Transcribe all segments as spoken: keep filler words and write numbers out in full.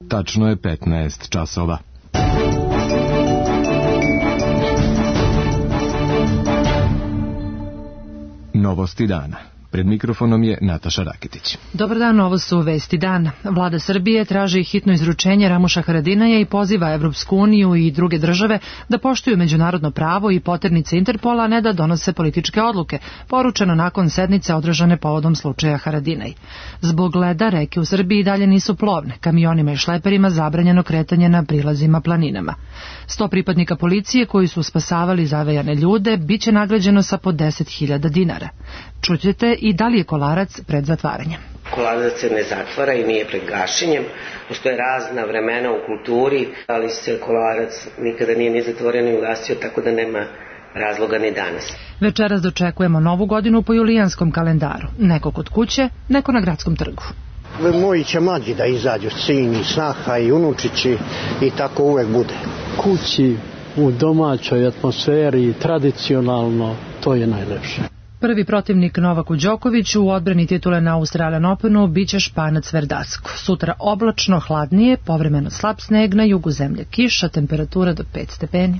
Tačno je petnaest časova. Novosti dana. Pred mikrofonom je Nataša Raketić. Dobar dan, ovo su vesti dana. Vlada Srbije traži hitno izručenje Ramuša Haradinaja i poziva Evropsku uniju i druge države da poštuju međunarodno pravo i poternice Interpola, a ne da donose političke odluke, poručeno nakon sednice održane povodom slučaja Haradinaj. Zbog leda reke u Srbiji dalje nisu plovne, kamionima i šleperima zabranjeno kretanje na prilazima planinama. Sto pripadnika policije koji su spasavali zavejane ljude biće nagrađeno sa po deset hiljada dinara. Čućete i da li je Kolarac pred zatvaranjem. Kolarac se ne zatvara i nije pred gašenjem. Postoje razna vremena u kulturi, ali se Kolarac nikada nije ni zatvorio ni ugasio, tako da nema razloga ni danas. Večeras dočekujemo novu godinu po julijanskom kalendaru. Neko kod kuće, neko na gradskom trgu. Moji će mlađi da izađu, sin i snaha i unučići, i tako uvek bude. Kući, u domaćoj atmosferi, tradicionalno, to je najlepše. Prvi protivnik Novaku Đokoviću u odbrani titule na Australian Openu biće Španac Verdasco. Sutra oblačno, hladnije, povremeno slab sneg, na jugu zemlje kiša, temperatura do pet stepeni.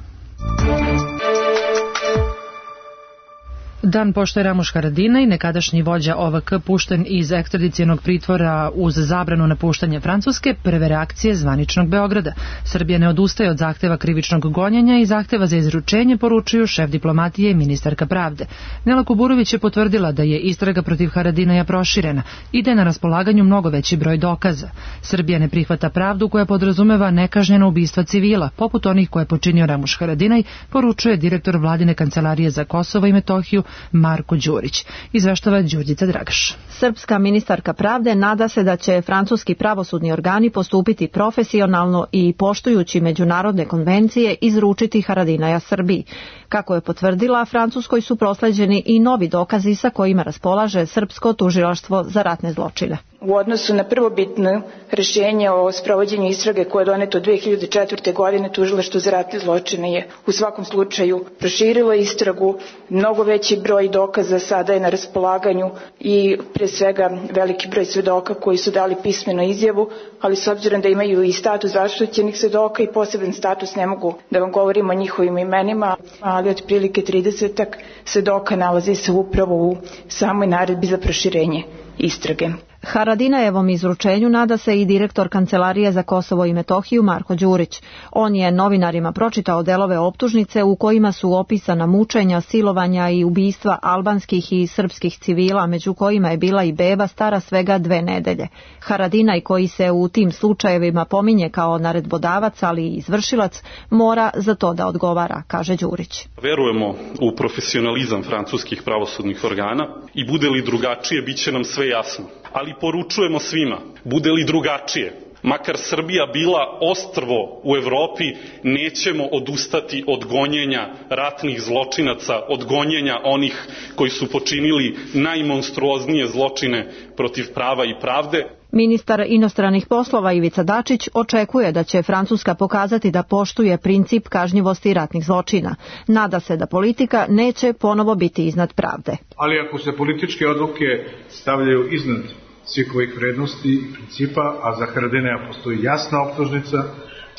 Dan pošto je Ramuš Haradinaj, nekadašnji vođa O V K, pušten iz ekstradicionog pritvora uz zabranu napuštanja Francuske, prve reakcije zvaničnog Beograda. Srbija ne odustaje od zahteva krivičnog gonjenja i zahteva za izručenje, poručuju šef diplomatije i ministarka pravde. Nela Kuburović je potvrdila da je istraga protiv Haradinaja proširena i da je na raspolaganju mnogo veći broj dokaza. Srbija ne prihvata pravdu koja podrazumeva nekažnjena ubistva civila, poput onih koje je počinio Ramuš Haradinaj, poručuje direktor Vladine kancelarije za Kosovo i Metohiju Marko Đurić. Izveštava Đurđica Dragaš. Srpska ministarka pravde nada se da će francuski pravosudni organi postupiti profesionalno i poštujući međunarodne konvencije izručiti Haradinaja Srbiji. Kako je potvrdila, Francuskoj su prosleđeni i novi dokazi sa kojima raspolaže Srpsko tužilaštvo za ratne zločine. U odnosu na prvobitno rješenje o sprovođenju istrage koje je doneto dve hiljade četvrte. godine, tužilaštvo za ratne zločine je u svakom slučaju proširilo istragu, mnogo veći broj dokaza sada je na raspolaganju i pre svega veliki broj svedoka koji su dali pismenu izjavu, ali s obzirom da imaju i status zaštićenih svedoka i poseban status, ne mogu da vam govorim o njihovim imenima, ali otprilike tridesetak svedoka nalazi se upravo u samoj naredbi za proširenje istrage. Haradinajevom izručenju nada se i direktor Kancelarije za Kosovo i Metohiju Marko Đurić. On je novinarima pročitao delove optužnice u kojima su opisana mučenja, silovanja i ubistva albanskih i srpskih civila, među kojima je bila i beba stara svega dve nedelje. Haradinaj, koji se u tim slučajevima pominje kao naredbodavac, ali i izvršilac, mora za to da odgovara, kaže Đurić. Verujemo u profesionalizam francuskih pravosudnih organa i bude li drugačije, bit će nam sve jasno. Ali poručujemo svima, bude li drugačije, makar Srbija bila ostrvo u Evropi, nećemo odustati od gonjenja ratnih zločinaca, od gonjenja onih koji su počinili najmonstruoznije zločine protiv prava i pravde. Ministar inostranih poslova Ivica Dačić očekuje da će Francuska pokazati da poštuje princip kažnjivosti ratnih zločina. Nada se da politika neće ponovo biti iznad pravde. Ali ako se političke odluke stavljaju iznad svih ovih vrednosti i principa, a za Haradinaja postoji jasna optužnica,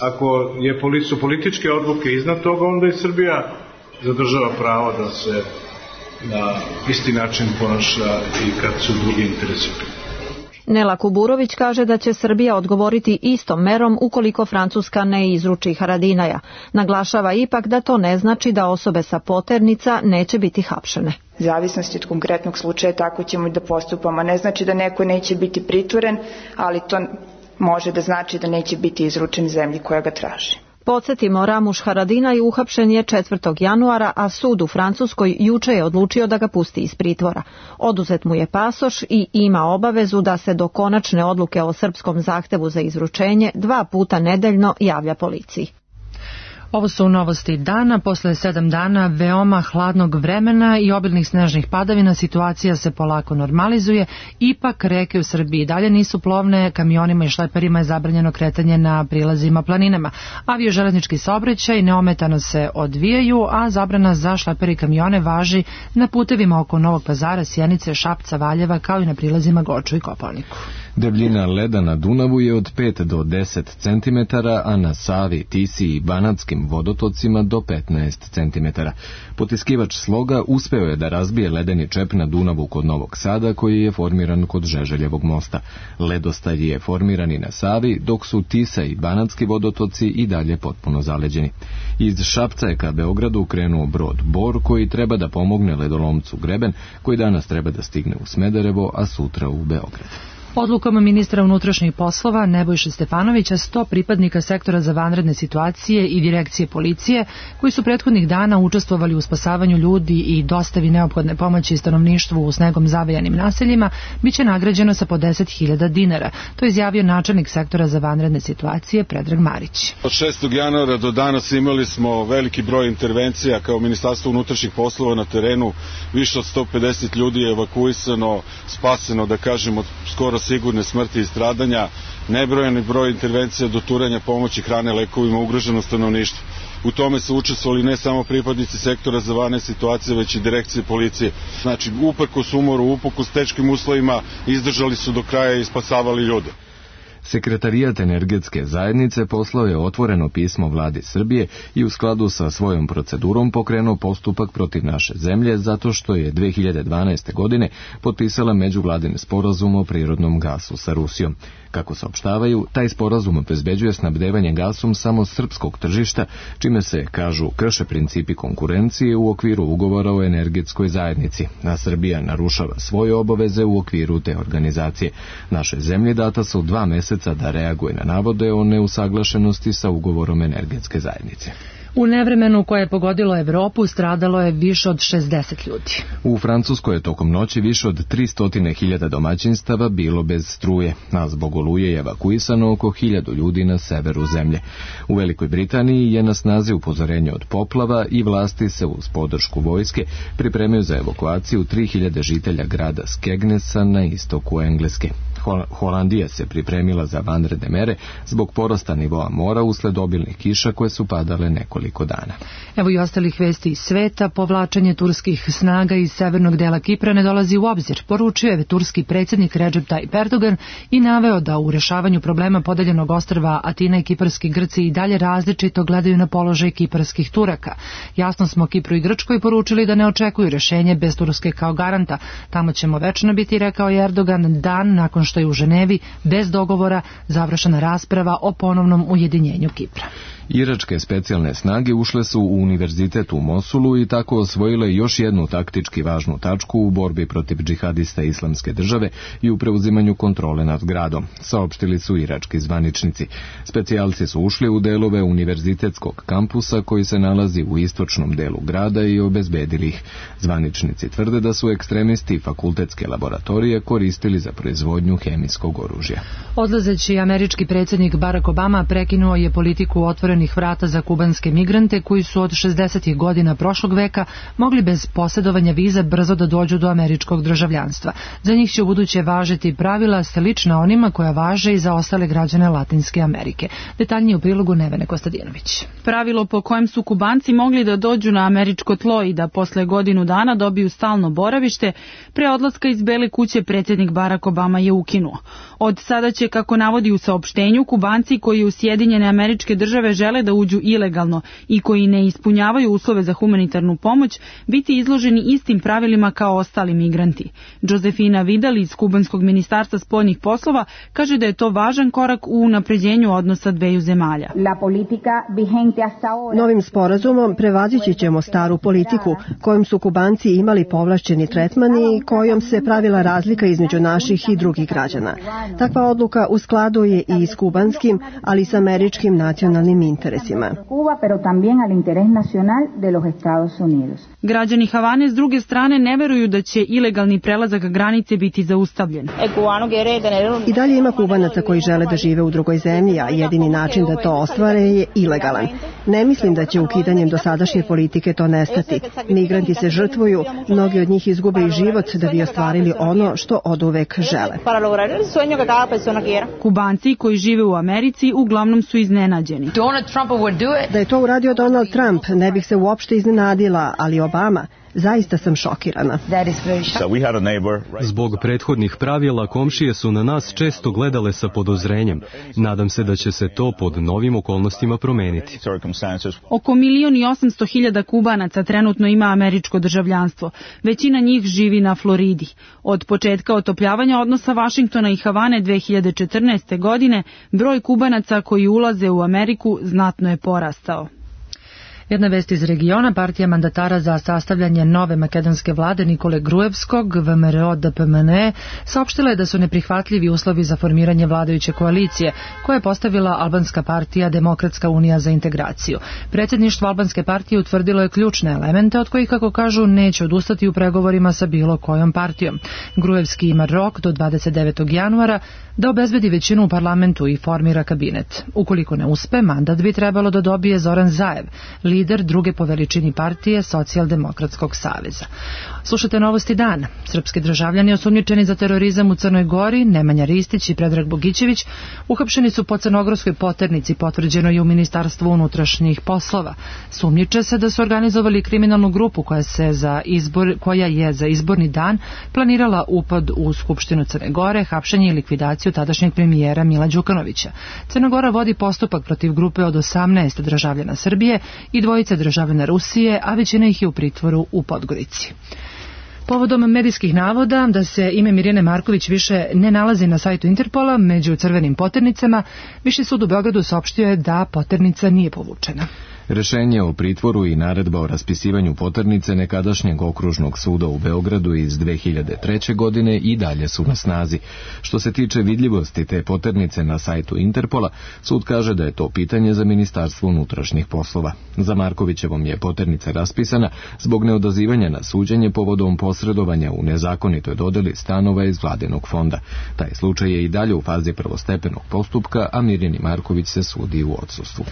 ako je, su političke odluke iznad toga, onda i Srbija zadržava pravo da se na isti način ponaša i kad su drugi interesi. Nela Kuburović kaže da će Srbija odgovoriti istom merom ukoliko Francuska ne izruči Haradinaja. Naglašava ipak da to ne znači da osobe sa poternica neće biti hapšene. Zavisnosti od konkretnog slučaja tako ćemo i da postupamo. Ne znači da neko neće biti pritvoren, ali to može da znači da neće biti izručen zemlji koja ga traži. Podsjetimo, Ramuš Haradinaj uhapšen je četvrtog januara, a sud u Francuskoj juče je odlučio da ga pusti iz pritvora. Oduzet mu je pasoš i ima obavezu da se do konačne odluke o srpskom zahtevu za izručenje dva puta nedeljno javlja policiji. Ovo su novosti dana. Posle sedam dana veoma hladnog vremena i obilnih snežnih padavina situacija se polako normalizuje. Ipak reke u Srbiji dalje nisu plovne, kamionima i šleperima je zabranjeno kretanje na prilazima planinama. Avio-železnički saobraćaj neometano se odvijaju, a zabrana za šlepere i kamione važi na putevima oko Novog Pazara, Sjenice, Šapca, Valjeva, kao i na prilazima Goču i Kopaoniku. Debljina leda na Dunavu je od pet do deset centimetara, a na Savi, Tisi i Banatskim vodotocima do petnaest centimetara. Potiskivač sloga uspeo je da razbije ledeni čep na Dunavu kod Novog Sada, koji je formiran kod Žeželjevog mosta. Ledostaj je formiran i na Savi, dok su Tisa i Banatski vodotoci i dalje potpuno zaleđeni. Iz Šapca je ka Beogradu krenuo brod Bor, koji treba da pomogne ledolomcu Greben, koji danas treba da stigne u Smederevo, a sutra u Beograd. Odlukom ministra unutrašnjih poslova Nebojše Stefanovića sto pripadnika sektora za vanredne situacije i direkcije policije, koji su prethodnih dana učestvovali u spasavanju ljudi i dostavi neophodne pomoći stanovništvu u snegom zavejanim naseljima, biće nagrađeno sa po deset hiljada dinara. To je izjavio načelnik sektora za vanredne situacije Predrag Marić. Od šestog januara do danas imali smo veliki broj intervencija kao Ministarstvo unutrašnjih poslova na terenu. Više od sto pedeset ljudi je evakuisano, spaseno, da kažemo, skoro sigurne smrti i stradanja, nebrojani broj intervencija do turanja pomoći hrane, lekovima ugroženom stanovništvu. U tome su učestvovali ne samo pripadnici sektora za vanredne situacije, već i direkcije policije. Znači, uprkos umoru, uprkos teškim uslovima, izdržali su do kraja i spasavali ljude. Sekretarijat energetske zajednice poslao je otvoreno pismo vladi Srbije i u skladu sa svojom procedurom pokrenuo postupak protiv naše zemlje zato što je dve hiljade dvanaeste. godine potpisala međuvladin sporazum o prirodnom gasu sa Rusijom. Kako saopštavaju, taj sporazum obezbeđuje snabdevanje gasom samo srpskog tržišta, čime se, kažu, krše principi konkurencije u okviru ugovora o energetskoj zajednici, a Srbija narušava svoje obaveze u okviru te organizacije. Naše zemlje data su dva meseca da reaguje na navode o neusaglašenosti sa ugovorom energetske zajednice. U nevremenu koje je pogodilo Evropu stradalo je više od šezdeset ljudi. U Francuskoj je tokom noći više od tristo hiljada domaćinstava bilo bez struje, a zbog oluje je evakuisano oko hiljadu ljudi na severu zemlje. U Velikoj Britaniji je na snazi upozorenje od poplava i vlasti se uz podršku vojske pripremaju za evakuaciju tri hiljade žitelja grada Skegnesa na istoku Engleske. Holandija se pripremila za vanredne mere zbog porasta nivoa mora usled obilnih kiša koje su padale nekoliko dana. Evo i ostalih vesti iz sveta. Povlačenje turskih snaga iz severnog dela Kipra ne dolazi u obzir, poručio je turski predsjednik Recep Tayyip Erdogan i naveo da u rešavanju problema podeljenog ostrva Atina i kiparski Grci i dalje različito gledaju na položaj kiparskih Turaka. Jasno smo Kipru i Grčkoj poručili da ne očekuju rešenje bez Turske kao garanta. Tamo ćemo večno biti, rekao je Erdogan, dan nakon što je u Ženevi bez dogovora završena rasprava o ponovnom ujedinjenju Kipra. Iračke specijalne snage ušle su u univerzitet u Mosulu i tako osvojile još jednu taktički važnu tačku u borbi protiv džihadista Islamske države i u preuzimanju kontrole nad gradom, saopštili su irački zvaničnici. Specijalci su ušli u delove univerzitetskog kampusa koji se nalazi u istočnom delu grada i obezbedili ih. Zvaničnici tvrde da su ekstremisti fakultetske laboratorije koristili za proizvodnju hemijskog oružja. Odlazeći američki predsjednik Barack Obama prekinuo je politiku otvorenih vrata za kubanske migrante koji su od šezdesetih godina prošlog veka mogli bez posjedovanja viza brzo da dođu do američkog državljanstva. Za njih će ubuduće važiti pravila slična onima koja važe i za ostale građane Latinske Amerike. Detaljnije u prilogu Nevene Kostadinović. Pravilo po kojem su Kubanci mogli da dođu na američko tlo i da posle godinu dana dobiju stalno boravište, pre odlaska iz Bele kuće predsjednik Barack Obama je ukinuo. Od sada će, kako navodi u saopštenju, Kubanci koji u Sjedinjene Američke Države žele da uđu ilegalno i koji ne ispunjavaju uslove za humanitarnu pomoć biti izloženi istim pravilima kao ostali migranti. Josefina Vidal iz Kubanskog ministarstva spoljnih poslova kaže da je to važan korak u unapređenju odnosa dveju zemalja. Novim sporazumom prevazići ćemo staru politiku kojom su Kubanci imali povlašćeni tretman i kojom se pravila razlika između naših i drugih građana. Takva odluka u skladu je i s kubanskim, ali i s američkim nacionalnim interesima. Građani Havane s druge strane ne veruju da će ilegalni prelazak granice biti zaustavljen. I dalje ima Kubanaca koji žele da žive u drugoj zemlji, a jedini način da to ostvare je ilegalan. Ne mislim da će ukidanjem dosadašnje politike to nestati. Migranti se žrtvuju, mnogi od njih izgube i život da bi ostvarili ono što oduvek žele. Kubanci koji žive u Americi uglavnom su iznenađeni. Da je to uradio Donald Trump, ne bih se uopšte iznenadila, ali Obama, Zaista sam šokirana. Zbog prethodnih pravila komšije su na nas često gledale sa podozrenjem. Nadam se da će se to pod novim okolnostima promeniti. Oko milion i osamsto hiljada Kubanaca trenutno ima američko državljanstvo. Većina njih živi na Floridi. Od početka otopljavanja odnosa Vašingtona i Havane dve hiljade četrnaeste. godine broj Kubanaca koji ulaze u Ameriku znatno je porastao. Jedna vest iz regiona, partija mandatara za sastavljanje nove makedonske vlade Nikole Gruevskog, V M R O D P M N E, saopštila je da su neprihvatljivi uslovi za formiranje vladajuće koalicije, koje je postavila albanska partija Demokratska unija za integraciju. Predsjedništvo albanske partije utvrdilo je ključne elemente od kojih, kako kažu, neće odustati u pregovorima sa bilo kojom partijom. Gruevski ima rok do dvadeset devetog januara da obezbedi većinu u parlamentu i formira kabinet. Ukoliko ne uspe, mandat bi trebalo da dobije Zoran Zaev, lider druge po veličini partije Socijaldemokratskog saveza. Slušate novosti dana. Srpski državljani osumnjičeni za terorizam u Crnoj Gori, Nemanja Ristić i Predrag Bogićević, uhapšeni su po crnogorskoj poternici, potvrđeno je u Ministarstvu unutrašnjih poslova. Sumnjiče se da su organizovali kriminalnu grupu koja, se za izbor, koja je za izborni dan planirala upad u Skupštinu Crne Gore, hapšenje i likvidaciju tadašnjeg premijera Mila Đukanovića. Crna Gora vodi postupak protiv grupe od osamnaest državljana Srbije i dvojice državljana Rusije, a većina ih je u pritvoru u Podgorici. Povodom medijskih navoda da se ime Mirjane Marković više ne nalazi na sajtu Interpola među crvenim poternicama, Viši sud u Beogradu saopštio je da poternica nije povučena. Rešenje o pritvoru i naredba o raspisivanju poternice nekadašnjeg okružnog suda u Beogradu iz dve hiljade treće. godine i dalje su na snazi. Što se tiče vidljivosti te poternice na sajtu Interpola, sud kaže da je to pitanje za Ministarstvo unutrašnjih poslova. Za Markovićevom je poternica raspisana zbog neodazivanja na suđenje povodom posredovanja u nezakonitoj dodeli stanova iz vladinog fonda. Taj slučaj je i dalje u fazi prvostepenog postupka, a Mirjani Marković se sudi u odsustvu.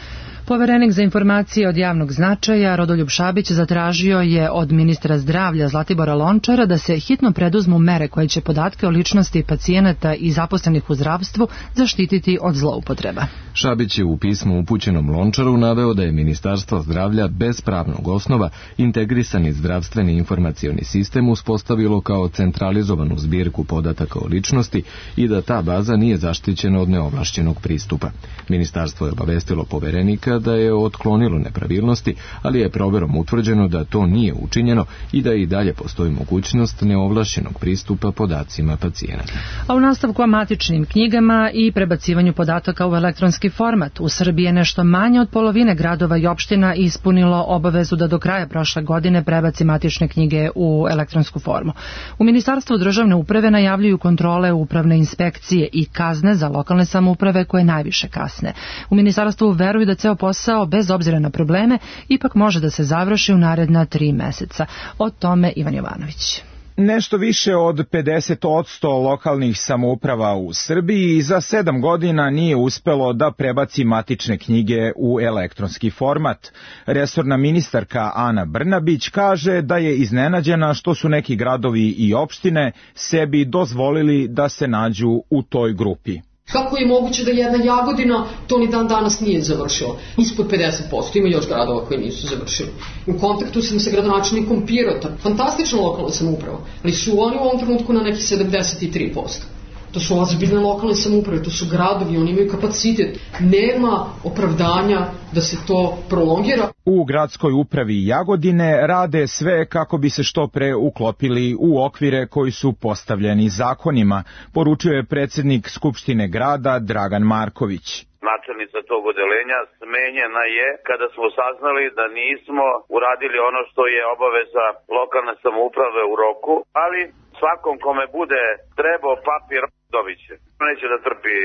Poverenik za informacije od javnog značaja Rodoljub Šabić zatražio je od ministra zdravlja Zlatibora Lončara da se hitno preduzmu mere koje će podatke o ličnosti pacijenata i zaposlenih u zdravstvu zaštititi od zloupotreba. Šabić je u pismu upućenom Lončaru naveo da je Ministarstvo zdravlja bez pravnog osnova integrisani zdravstveni informacioni sistem uspostavilo kao centralizovanu zbirku podataka o ličnosti i da ta baza nije zaštićena od neovlašćenog pristupa. Ministarstvo je obavestilo poverenika da je otklonilo nepravilnosti, ali je proverom utvrđeno da to nije učinjeno i da i dalje postoji mogućnost neovlašćenog pristupa podacima pacijenata. A u nastavku o matičnim knjigama i prebacivanju podataka u elektronski format, u Srbiji je nešto manje od polovine gradova i opština ispunilo obavezu da do kraja prošle godine prebaci matične knjige u elektronsku formu. U Ministarstvu državne uprave najavljuju kontrole upravne inspekcije i kazne za lokalne samouprave koje najviše kasne. U Ministarstvu veruju da ceo posao, bez obzira na probleme, ipak može da se završi u naredna tri meseca. O tome Ivan Jovanović. Nešto više od pedeset posto lokalnih samouprava u Srbiji za sedam godina nije uspelo da prebaci matične knjige u elektronski format. Resorna ministarka Ana Brnabić kaže da je iznenađena što su neki gradovi i opštine sebi dozvolili da se nađu u toj grupi. Kako je moguće da jedna Jagodina to ni dan danas nije završila? Ispod pedeset posto, ima još gradova koji nisu završili. U kontaktu sam sa gradonačelnikom Pirota, fantastična lokalna samouprava, ali su oni u ovom trenutku na neki sedamdeset tri posto. To su ozbiljne lokalne samouprave, to su gradovi, oni imaju kapacitet. Nema opravdanja da se to prolongira. U gradskoj upravi Jagodine rade sve kako bi se što pre uklopili u okvire koji su postavljeni zakonima, poručuje predsjednik Skupštine grada Dragan Marković. Načelnica tog odelenja smenjena je kada smo saznali da nismo uradili ono što je obaveza lokalne samouprave u roku, ali svakom kome bude trebao papir dobit će. Neće da trpi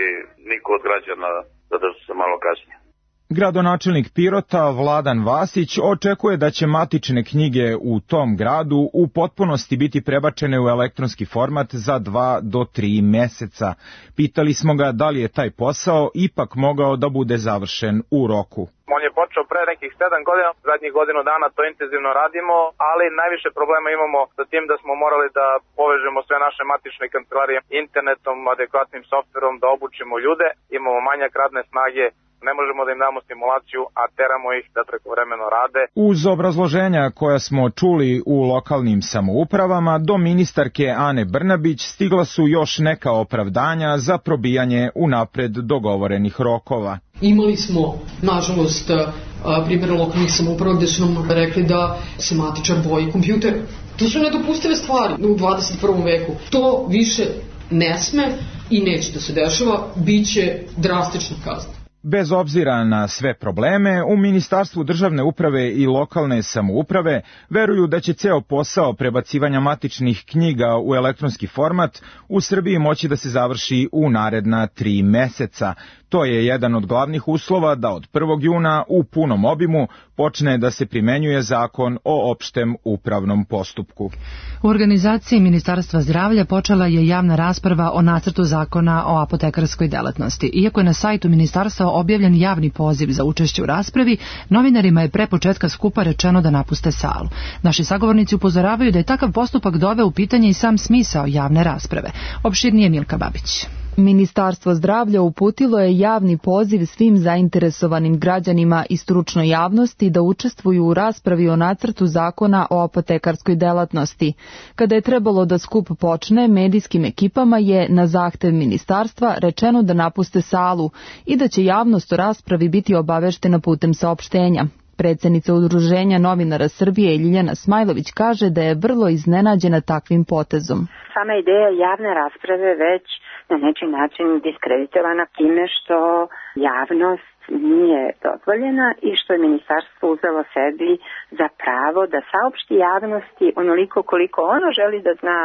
niko od građana da da se malo kasnije. Gradonačelnik Pirota Vladan Vasić očekuje da će matične knjige u tom gradu u potpunosti biti prebačene u elektronski format za dva do tri meseca. Pitali smo ga da li je taj posao ipak mogao da bude završen u roku. On je počeo pre nekih sedam godina, zadnjih godinu dana to intenzivno radimo, ali najviše problema imamo sa tim da smo morali da povežemo sve naše matične kancelarije internetom, adekvatnim softverom, da obučimo ljude, imamo manjak radne snage, ne možemo da im damo stimulaciju, a teramo ih da prekovremeno rade. Uz obrazloženja koja smo čuli u lokalnim samoupravama, do ministarke Ane Brnabić stigla su još neka opravdanja za probijanje unapred dogovorenih rokova. Imali smo, nažalost, primjera lokalnih samouprava gde su nam rekli da se matičar boji kompjuter. To su nedopustive stvari u dvadeset prvom veku. To više ne sme i neće da se dešava, bit će drastična kazna. Bez obzira na sve probleme, u Ministarstvu državne uprave i lokalne samouprave veruju da će ceo posao prebacivanja matičnih knjiga u elektronski format u Srbiji moći da se završi u naredna tri meseca. To je jedan od glavnih uslova da od prvog juna u punom obimu počne da se primenjuje zakon o opštem upravnom postupku. U organizaciji Ministarstva zdravlja počela je javna rasprava o nacrtu zakona o apotekarskoj delatnosti. Iako je na sajtu ministarstva objavljen javni poziv za učešće u raspravi, novinarima je pre početka skupa rečeno da napuste salu. Naši sagovornici upozoravaju da je takav postupak doveo u pitanje i sam smisao javne rasprave. Opširnije Milka Babić. Ministarstvo zdravlja uputilo je javni poziv svim zainteresovanim građanima i stručnoj javnosti da učestvuju u raspravi o nacrtu zakona o apotekarskoj delatnosti. Kada je trebalo da skup počne, medijskim ekipama je na zahtev ministarstva rečeno da napuste salu i da će javnost o raspravi biti obaveštena putem saopštenja. Predsednica Udruženja novinara Srbije Ljiljana Smajlović kaže da je vrlo iznenađena takvim potezom. Sama ideja javne rasprave već na neki način diskreditovana time što javnost nije dozvoljena i što je ministarstvo uzelo sebi za pravo da saopšti javnosti onoliko koliko ono želi da zna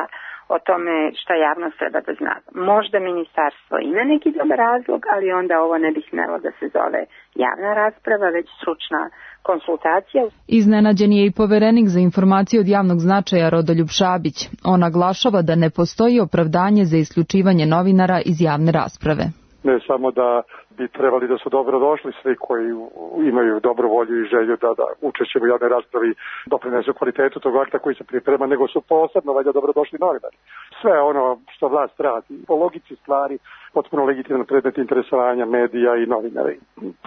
o tome šta javnost treba da zna. Možda ministarstvo ima neki dobar razlog, ali onda ovo ne bi smelo da se zove javna rasprava, već stručna konsultacija. Iznenađen je i poverenik za informacije od javnog značaja Rodoljub Šabić. On naglašava da ne postoji opravdanje za isključivanje novinara iz javne rasprave. Ne samo da bi trebali da su dobro došli svi koji imaju dobru volju i želju da, da učešćemo u javnoj raspravi doprinesu kvalitetu tog akta koji se priprema, nego su posebno valjda dobro došli novinari. Sve ono što vlast radi, po logici stvari, potpuno legitimno predmet interesovanja medija i novinara.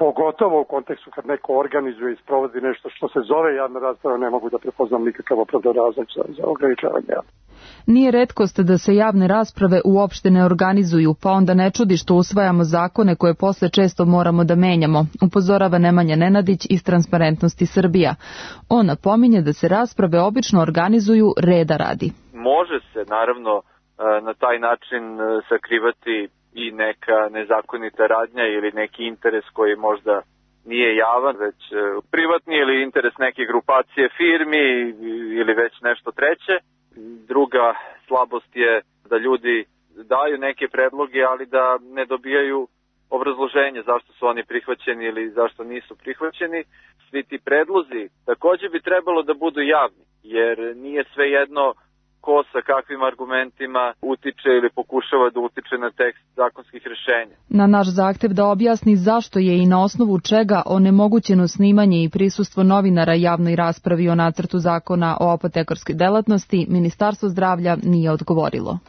Pogotovo u kontekstu kad neko organizuje i sprovodi nešto što se zove javna rasprava, ne mogu da prepoznam nikakav opravdan razlog za, za ograničavanje. Nije retkost da se javne rasprave uopšte ne organizuju, pa onda ne čudi što usvajamo zakone koje posle često moramo da menjamo, upozorava Nemanja Nenadić iz Transparentnosti Srbija. On napominje da se rasprave obično organizuju reda radi. Može se naravno na taj način sakrivati i neka nezakonita radnja ili neki interes koji možda nije javan, već privatni ili interes neke grupacije firmi ili već nešto treće. Druga slabost je da ljudi daju neke predloge, ali da ne dobijaju obrazloženje zašto su oni prihvaćeni ili zašto nisu prihvaćeni. Svi ti predlozi također bi trebalo da budu javni, jer nije svejedno ko sa kakvim argumentima utiče ili pokušava da utiče na tekst zakonskih rešenja. Na naš zahtev da objasni zašto je i na osnovu čega onemogućeno snimanje i prisustvo novinara javnoj raspravi o nacrtu zakona o apotekarskoj delatnosti, Ministarstvo zdravlja nije odgovorilo.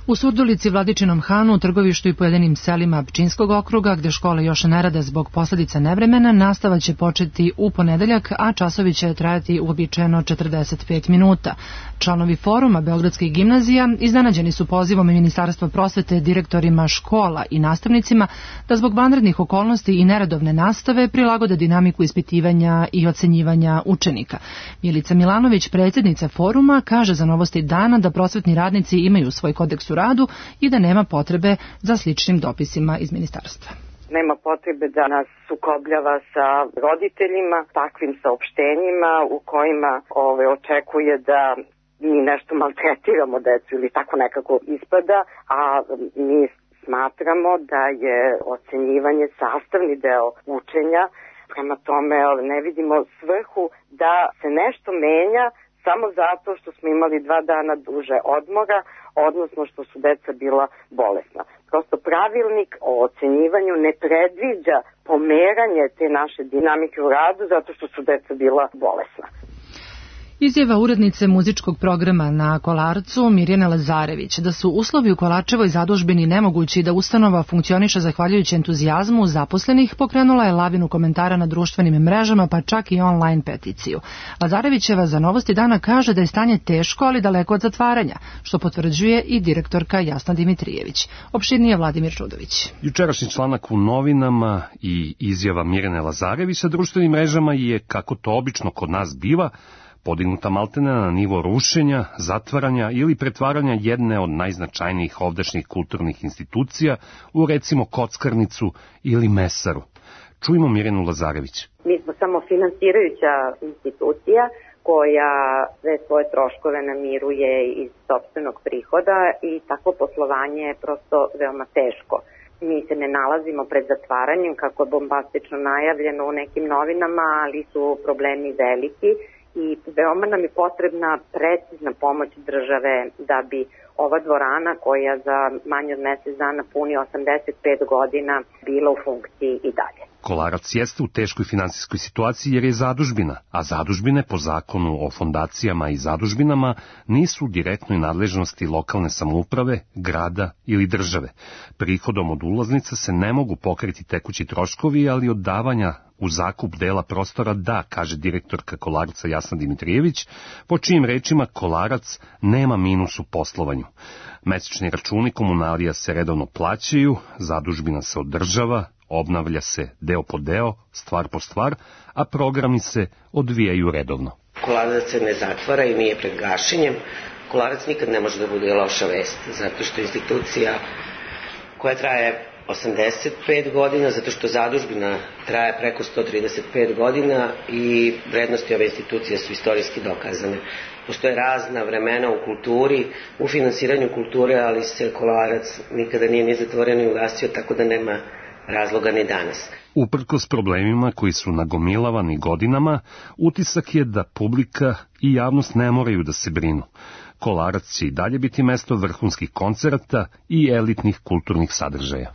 U Surdulici, Vladičinom Hanu, u Trgovištu i pojedinim selima Pčinskog okruga, gde škole još ne rade zbog posledica nevremena, nastava će početi u ponedeljak, a časovi će trajati uobičajeno četrdeset pet minuta. Članovi foruma Beogradskih gimnazija iznenađeni su pozivom Ministarstva prosvete direktorima škola i nastavnicima da zbog vanrednih okolnosti i neredovne nastave prilagode dinamiku ispitivanja i ocenjivanja učenika. Milica Milanović, predsjednica foruma, kaže za Novosti dana da prosvetni radnici imaju svoj kodeks u radu i da nema potrebe za sličnim dopisima iz ministarstva. Nema potrebe da nas sukobljava sa roditeljima takvim saopštenjima u kojima ove, očekuje da mi nešto maltretiramo decu ili tako nekako ispada, a mi smatramo da je ocenjivanje sastavni deo učenja. Prema tome ne vidimo svrhu da se nešto menja samo zato što smo imali dva dana duže odmora, odnosno što su deca bila bolesna. Prosto pravilnik o ocenjivanju ne predviđa pomeranje te naše dinamike u radu zato što su deca bila bolesna. Izjava urednice muzičkog programa na Kolarcu Mirjane Lazarević da su uslovi u Kolarčevoj zadužbini nemogući da ustanova funkcioniše zahvaljujući entuzijazmu zaposlenih pokrenula je lavinu komentara na društvenim mrežama pa čak i online peticiju. Lazarevićeva za Novosti dana kaže da je stanje teško ali daleko od zatvaranja, što potvrđuje i direktorka Jasna Dimitrijević. Opširnije Vladimir Čudović. Jučerašnji članak u novinama i izjava Mirjane Lazarević sa društvenim mrežama je, kako to obično kod nas biva, podignuta maltene na nivo rušenja, zatvaranja ili pretvaranja jedne od najznačajnijih ovdašnjih kulturnih institucija u recimo kockarnicu ili mesaru. Čujmo Mirjanu Lazarević. Mi smo samo finansirajuća institucija koja sve svoje troškove namiruje iz sopstvenog prihoda i takvo poslovanje je prosto veoma teško. Mi se ne nalazimo pred zatvaranjem kako je bombastično najavljeno u nekim novinama, ali su problemi veliki. I veoma nam je potrebna precizna pomoć države da bi ova dvorana koja za manje od mesec dana puni osamdeset pet godina bila u funkciji i dalje. Kolarac jeste u teškoj finansijskoj situaciji jer je zadužbina, a zadužbine po zakonu o fondacijama i zadužbinama nisu u direktnoj nadležnosti lokalne samouprave, grada ili države. Prihodom od ulaznica se ne mogu pokriti tekući troškovi, ali od davanja u zakup dela prostora da, kaže direktorka Kolarca Jasna Dimitrijević, po čijim rečima Kolarac nema minus u poslovanju. Mesečni računi komunalija se redovno plaćaju, zadužbina se održava, obnavlja se deo po deo, stvar po stvar, a programi se odvijaju redovno. Kolarac se ne zatvara i nije pred gašenjem. Kolarac nikad ne može da bude loša vest, zato što institucija koja traje osamdeset pet godina, zato što zadužbina traje preko sto trideset pet godina i vrednosti ove institucije su istorijski dokazane. Postoje razna vremena u kulturi, u finansiranju kulture, ali se Kolarac nikada nije ni zatvorio ni ugasio, tako da nema razloga ni danas. Uprkos problemima koji su nagomilavani godinama, utisak je da publika i javnost ne moraju da se brinu. Kolarac će i dalje biti mesto vrhunskih koncerata i elitnih kulturnih sadržaja.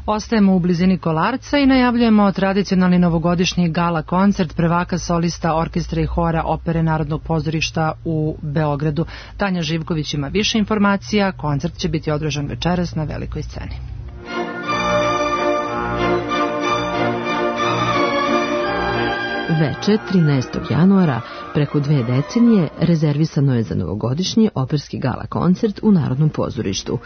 Ostajemo u blizini Kolarca i najavljujemo tradicionalni novogodišnji gala koncert prvaka solista orkestra i hora Opere Narodnog pozorišta u Beogradu. Tanja Živković ima više informacija, koncert će biti održan večeras na velikoj sceni. Veče trinaestog januara, preko dve decenije, rezervisano je za novogodišnji operski gala koncert u Narodnom pozorištu.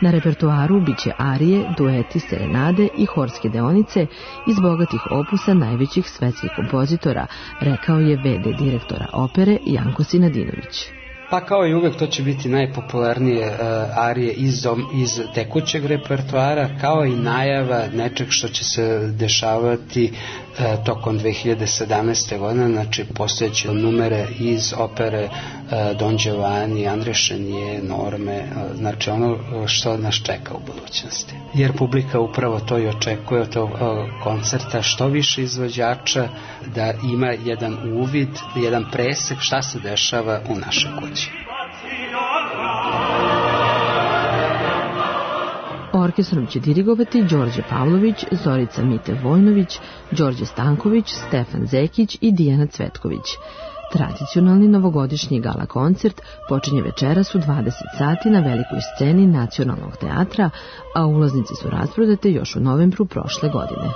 Na repertoaru biće arije, dueti, serenade i horske deonice iz bogatih opusa najvećih svetskih kompozitora, rekao je ve de direktora opere Janko Sinadinović. Pa kao i uvek to će biti najpopularnije uh, arije iz, iz tekućeg repertoara, kao i najava nečeg što će se dešavati uh, tokom dve hiljade sedamnaeste. godine, znači postojeće numere iz opere uh, Don Giovanni, André Chenier, Norme, uh, znači ono što nas čeka u budućnosti. Jer publika upravo to i očekuje od tog uh, koncerta, što više izvođača, da ima jedan uvid, jedan presek šta se dešava u našoj kući. Orkestrom će dirigovati Đorđe Pavlović, Zorica Mite Vojnović, Đorđe Stanković, Stefan Zekić i Dijana Cvetković. Tradicionalni novogodišnji gala koncert počinje večeras u dvadeset sati na velikoj sceni Nacionalnog teatra, a ulaznice su rasprodate još u novembru prošle godine.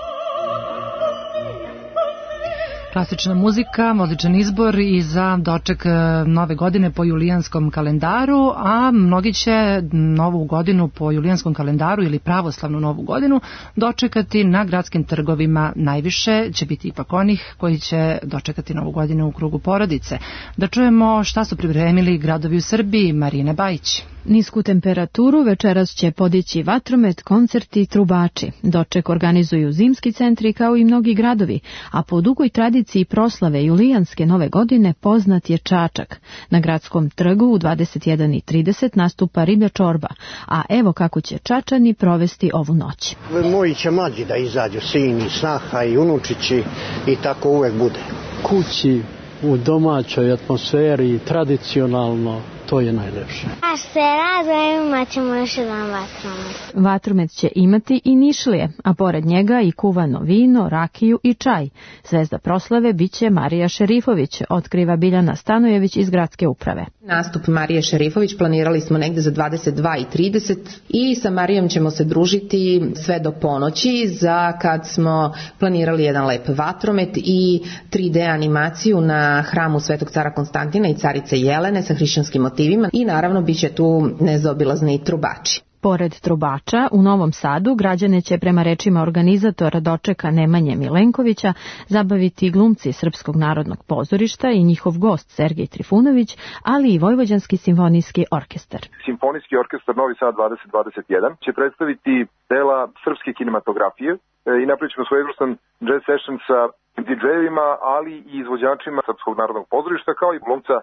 Klasična muzika, odličan izbor i za doček nove godine po julijanskom kalendaru, a mnogi će novu godinu po julijanskom kalendaru ili pravoslavnu novu godinu dočekati na gradskim trgovima. Najviše će biti ipak onih koji će dočekati novu godinu u krugu porodice. Da čujemo šta su pripremili gradovi u Srbiji. Marina Bajić. Nisku temperaturu večeras će podići vatromet, koncerti i trubači. Doček organizuju zimski centri kao i mnogi gradovi, a po dugoj tradiciji proslave julijanske nove godine poznat je Čačak. Na gradskom trgu u dvadeset jedan i trideset nastupa riblja čorba, a evo kako će Čačani provesti ovu noć. Moji će mlađi da izađu, sini, snaha i unučići i tako uvek bude. Kući u domaćoj atmosferi, tradicionalno, to je najlepše. A se razvojem imat ćemo još jedan vatromet. Vatromet će imati i Nišlije, a pored njega i kuvano vino, rakiju i čaj. Zvezda proslave biće Marija Šerifović, otkriva Biljana Stanojević iz gradske uprave. Nastup Marije Šerifović planirali smo negde za dvadeset dva i trideset i sa Marijom ćemo se družiti sve do ponoći, za kad smo planirali jedan lep vatromet i tri D animaciju na hramu Svetog cara Konstantina i carice Jelene sa hrišćanskim motivima i naravno bit će tu nezaobilazni trubači. Pored trubača, u Novom Sadu građane će prema rečima organizatora dočeka Nemanje Milenkovića zabaviti glumci Srpskog narodnog pozorišta i njihov gost Sergej Trifunović, ali i Vojvođanski simfonijski orkestar. Simfonijski orkestar Novi Sad dvadeset dvadeset jedan će predstaviti dela srpske kinematografije i napravit ćemo svojevrstan jazz session sa D J-evima, ali i izvođačima Srpskog narodnog pozorišta, kao i glumca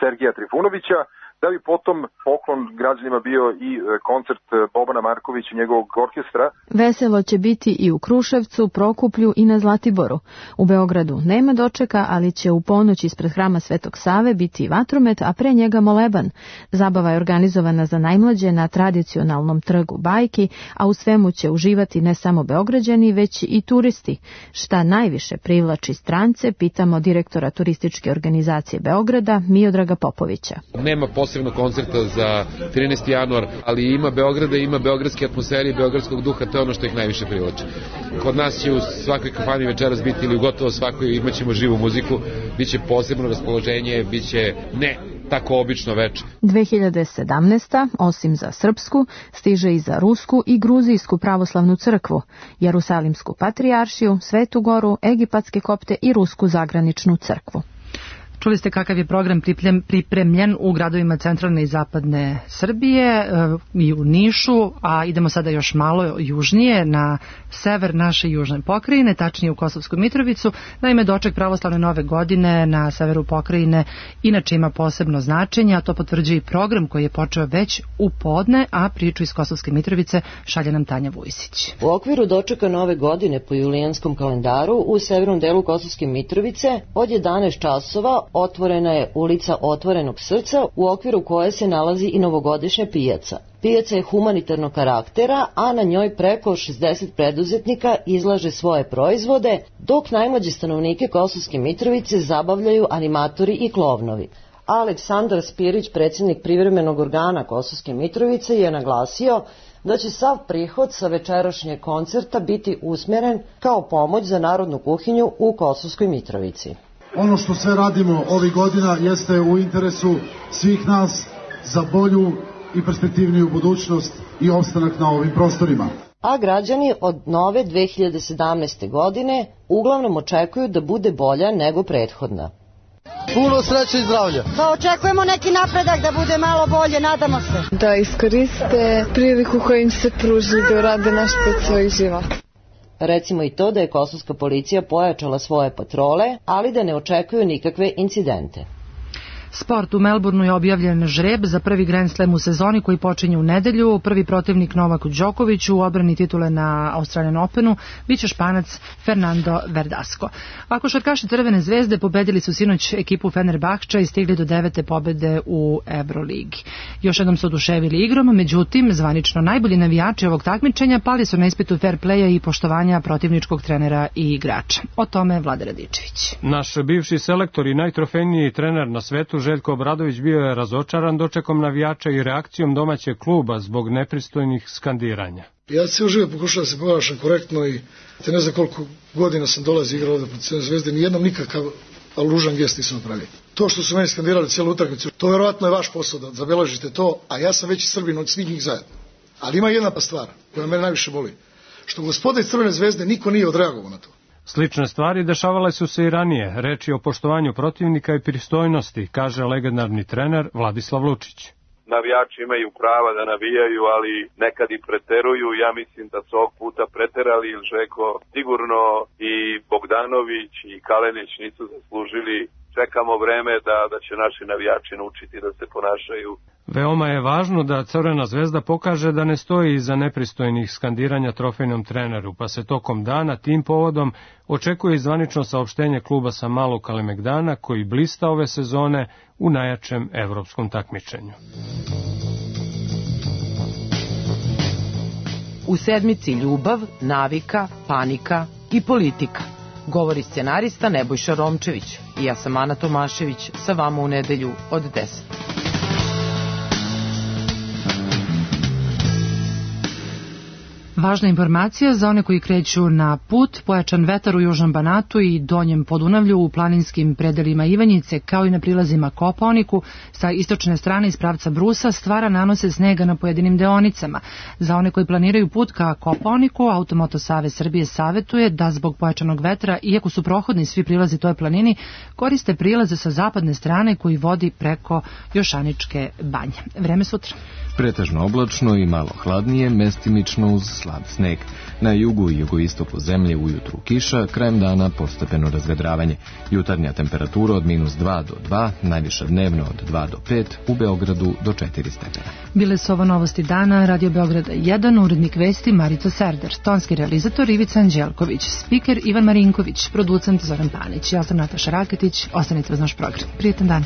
Sergeja Trifunovića, da bi potom poklon građanima bio i koncert Bobana Markovića i njegovog orkestra. Veselo će biti i u Kruševcu, Prokuplju i na Zlatiboru. U Beogradu nema dočeka, ali će u ponoć ispred hrama Svetog Save biti vatromet, a pre njega moleban. Zabava je organizovana za najmlađe na tradicionalnom trgu Bajki, a u svemu će uživati ne samo Beograđani, već i turisti. Šta najviše privlači strance, pitamo direktora turističke organizacije Beograda, Miodraga Popovića. Nema posebno koncerta za trinaesti januar, ali ima Beograda, ima beogradske atmosfere i beogradskog duha, to je ono što ih najviše privlači. Kod nas će u svakoj kafani večeras biti ili gotovo svakoj imaćemo živu muziku, biće posebno raspoloženje, biće ne tako obično veče. dve hiljade sedamnaesta. osim za srpsku, stiže i za rusku i gruzijsku pravoslavnu crkvu, Jerusalimsku patrijaršiju, Svetu Goru, egipatske kopte i rusku zagraničnu crkvu. Čuli ste kakav je program pripremljen u gradovima centralne i zapadne Srbije i u Nišu, a idemo sada još malo južnije na sever naše južne pokrajine, tačnije u Kosovsku Mitrovicu. Naime, doček pravoslavne nove godine na severu pokrajine inače ima posebno značenje, a to potvrđuje i program koji je počeo već u podne, a priču iz Kosovske Mitrovice šalje nam Tanja Vujsić. U okviru dočeka nove godine po julijanskom kalendaru u severnom delu Kosovske Mitrovice od jedanaest časova otvorena je ulica Otvorenog srca u okviru koje se nalazi i novogodišnja pijaca. Pijaca je humanitarnog karaktera, a na njoj preko šezdeset preduzetnika izlaže svoje proizvode, dok najmlađe stanovnike Kosovske Mitrovice zabavljaju animatori i klovnovi. Aleksandar Spirić, predsjednik privremenog organa Kosovske Mitrovice, je naglasio da će sav prihod sa večerašnjeg koncerta biti usmjeren kao pomoć za narodnu kuhinju u Kosovskoj Mitrovici. Ono što sve radimo ovih godina jeste u interesu svih nas za bolju i perspektivniju budućnost i opstanak na ovim prostorima. A građani od nove dve hiljade sedamnaeste. godine uglavnom očekuju da bude bolja nego prethodna. Puno sreće i zdravlja. Pa očekujemo neki napredak da bude malo bolje, nadamo se. Da iskoriste priliku koju im se pruži da urade nešto od svojih života. Recimo i to da je kosovska policija pojačala svoje patrole, ali da ne očekuju nikakve incidente. Sport, u Melbourneu je objavljen žreb za prvi Grand Slam u sezoni koji počinje u nedelju. Prvi protivnik Novaku Đokoviću u odbrani titule na Australian Openu biće Španac Fernando Verdasco. A košarkaši Crvene zvezde pobedili su sinoć ekipu Fenerbahča i stigli do devete pobede u Euroligi. Još jednom su oduševili igrom, međutim, zvanično najbolji navijači ovog takmičenja pali su na ispitu fair playa i poštovanja protivničkog trenera i igrača. O tome Vlada Radičević. Naš bivši selektor i najtrofejniji trener na svetu Željko Obradović bio je razočaran dočekom navijača i reakcijom domaćeg kluba zbog nepristojnih skandiranja. Ja cijelo žive pokušavam da se ponašam korektno i te ne znam koliko godina sam dolazi igrao ovdje pod Crvene zvezde, nijednom nikakav ružan gest nisam napravio. To što su meni skandirali cijelu utakmicu, to vjerovatno je vaš posao da zabeležite to, a ja sam veći Srbin od svih njih zajedno. Ali ima jedna stvar koja mene najviše boli, što gospoda iz Crvene zvezde niko nije odreagovao na to. Slične stvari dešavale su se i ranije, reči o poštovanju protivnika i pristojnosti, kaže legendarni trener Vladislav Lučić. Navijači imaju prava da navijaju, ali nekad i preteruju. Ja mislim da su ovog puta preterali, jer Žeko sigurno i Bogdanović i Kalenić nisu zaslužili čekamo vreme da, da će naši navijači naučiti da se ponašaju. Veoma je važno da Crvena zvezda pokaže da ne stoji iza nepristojnih skandiranja trofejnom treneru, pa se tokom dana tim povodom očekuje zvanično saopštenje kluba sa Malog Kalemegdana koji blista ove sezone u najjačem evropskom takmičenju. U sedmici ljubav, navika, panika i politika. Govori scenarista Nebojša Romčević i ja sam Ana Tomašević, sa vama u nedelju od deset. Važna informacija za one koji kreću na put, pojačan vetar u južnom Banatu i donjem Podunavlju u planinskim predelima Ivanjice, kao i na prilazima Kopaoniku, sa istočne strane iz pravca Brusa stvara nanose snega na pojedinim deonicama. Za one koji planiraju put ka Kopaoniku, Automoto Savez Srbije savetuje da zbog pojačanog vetra, iako su prohodni svi prilazi toj planini, koriste prilaze sa zapadne strane koji vodi preko Jošaničke banje. Vreme sutra. Pretežno oblačno i malo hladnije, mestimično uz slab sneg. Na jugu i jugoistoku zemlje ujutru kiša, krajem dana postepeno razvedravanje. Jutarnja temperatura od minus dva do dva, najviša dnevno od dva do pet, u Beogradu do četiri stepena. Bile su ovo novosti dana, Radio Beograda jedan, urednik vesti Marica Serder, tonski realizator Ivica Anđelković, spiker Ivan Marinković, producent Zoran Panić. Ja sam Nataša Raketić, ostanite uz naš program. Prijetan dan.